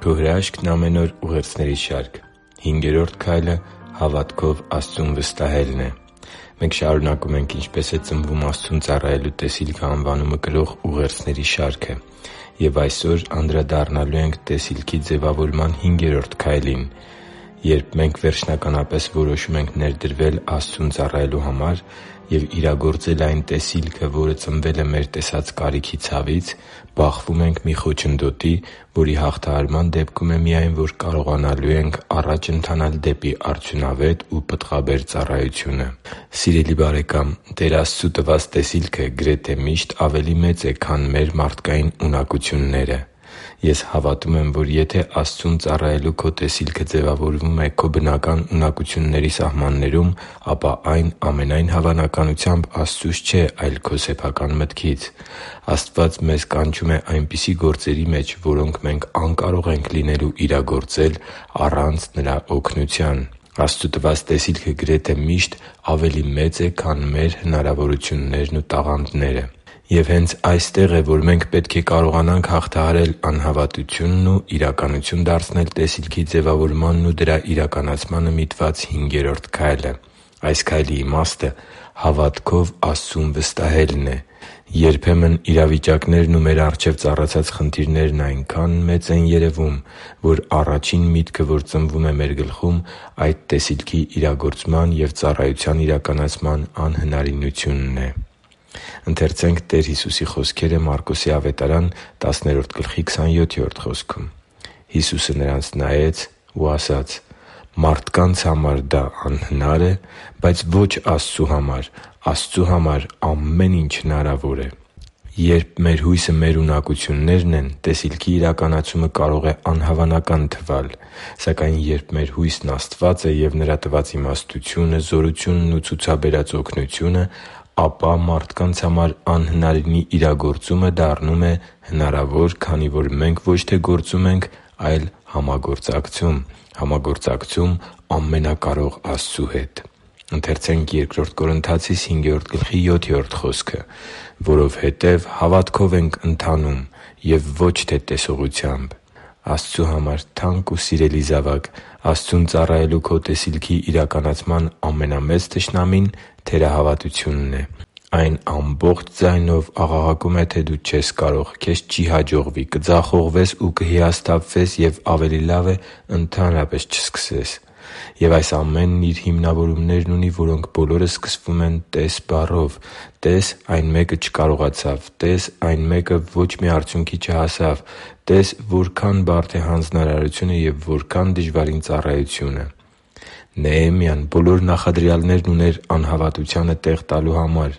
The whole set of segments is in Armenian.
Քո հրաշքն ամեն օր ուղերձների շարք։ 5-րդ քայլը հավատքով Աստծուն վստահելն է։ Մենք շարունակում ենք «Ինչպե՞ս է ծնվում Աստծուն ծառայելու տեսիլքը» անվանումը կրող ուղերձների շարքը։ Եվ այսօր անդրադառնալու ենք տեսիլքի ձևավորման 5-րդ քայլին։ Երբ մենք վերջնականապես որոշում ենք ներդրվել Աստծուն ծառայելու համար և իրագործել այն տեսիլքը, որը ծնվել է մեր տեսած կարիքի ցավից, բախվում ենք մի խոչընդոտի, որի հաղթահարման դեպքում է միայն, որ կարողանալու ենք առաջ ընթանալ դեպի արդյունավետ ու պտղաբեր ծառայությունը։ Սիրելի՛ բարեկամ, Տեր Աստծու տված տեսիլքը գրեթե միշտ ավելի մեծ է, քան մեր մարդկային ունակությունները։ Ես հավատում եմ, որ եթե Աստծուն ծառայելու քո տեսիլքը ձևավորվում է քո բնական ունակությունների սահմաններում, ապա այն ամենայն հավանականությամբ Աստծուց չէ, այլ քո սեփական մտքից։ Աստված մեզ կանչում է այնպիսի գործերի մեջ, որոնք մենք անկարող ենք լինելու իրագործել առանց Նրա օգնության։ Աստծու տված տեսիլքը գրեթե միշտ ավելի մեծ է, քան մեր հնարավորություններն ու տաղանդները։ Եվ հենց այստեղ է, որ մենք պետք է կարողանանք հաղթահարել անհավատությունն ու իրականություն դարձնել տեսիլքի ձևավորմանն ու դրա իրականացմանը միտված 5-րդ քայլը։ Այս քայլի իմաստը հավատքով Աստծուն վստահելն է։ Երբեմն իրավիճակներն ու մեր առջև ծառացած խնդիրներն այնքան մեծ են երևում, որ առաջին միտքը, որ ծնվում է մեր գլխում, այդ տեսիլքի իրագործման և ծառայության իրականացման անհնարինությունն է։ «Հիսուսը նրանց նայեց ու ասաց. «Մարդկանց համար դա անհնար է, բայց ոչ Աստծու համար. Աստծու համար ամեն ինչ հնարավոր է» (Մարկոս 27․27): Երբ մեր հույսը մեր ունակություններն են, տեսիլքի իրականացումը կարող է անհավանական թվալ։ Սակայն երբ մեր հույսն Աստված է և Նրա տված իմաստությունը, զորությունն ու ցուցաբերած օգնությունը, ապա մարդկանց համար անհնարինի իրագործումը դառնում է հնարավոր, քանի որ մենք ոչ թե գործում ենք, այլ համագործակցում ամենակարող Աստծու հետ։ «Որովհետև հավատքով ենք ընթանում, և ոչ թե տեսողությամբ» (Բ Կորնթացիս 5․7): Աստծու համար թանկ ու սիրելի՛ զավակ, Աստծուն ծառայելու քո տեսիլքի իրականացման ամենամեծ թշնամին թերահավատությունն է։ Այն ամբողջ ձայնով աղաղակում է, թե դու չես կարող, քեզ չի հաջողվի, կձախողվես ու կհիասթափվես և ավելի լավ է ընդհանրապես չսկսես։ Եվ այս ամենն իր հիմնավորումներն ունի, որոնք բոլորը սկսվում են «տես» բառով։ Տես՝ այն մեկը չկարողացավ։ Տես՝ այն մեկը ոչ մի արդյունքի չհասավ։ Տես՝ որքա՜ն բարդ է հանձնարարությունը և որքա՜ն դժվարին ծառայությունը։ Նեեմիան բոլոր նախադրյալներն ուներ անհավատությանը տեղ տալու համար։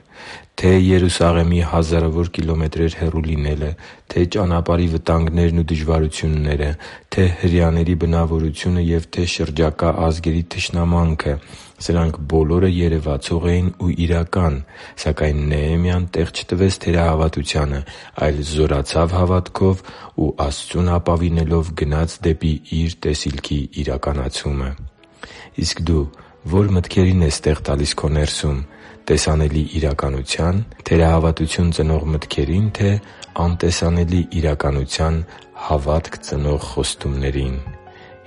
Թե՛ Երուսաղեմի հազարավոր կիլոմետրեր հեռու լինելը, թե՛ ճանապարհի վտանգներն ու դժվարությունները, թե՛ հրեաների բնավորությունը և թե՛ շրջակա ազգերի թշնամանքը՝ սրանք բոլորը երևացող էին ու իրական։ Սակայն Նեեմիան տեղ չտվեց թերահավատությանը, այլ զորացավ հավատքով ու Աստծուն ապավինելով գնաց դեպի իր տեսիլքի իրականացումը։ Իսկ դու ո՞ր մտքերին ես տեղ տալիս քո ներսում՝ տեսանելի իրականությա՞ն, թերահավատություն ծնող մտքերի՞ն, թե՞ անտեսանելի իրականության հավատք ծնող խոստումներին։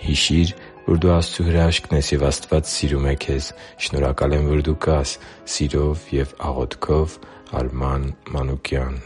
Հիշի՛ր, որ դու Աստծո հրաշքն ես, և Աստված սիրում է քեզ։ Շնորհակալ եմ, որ դու կա՛ս։ Սիրով և աղոթքով, Արման Մանուկյան։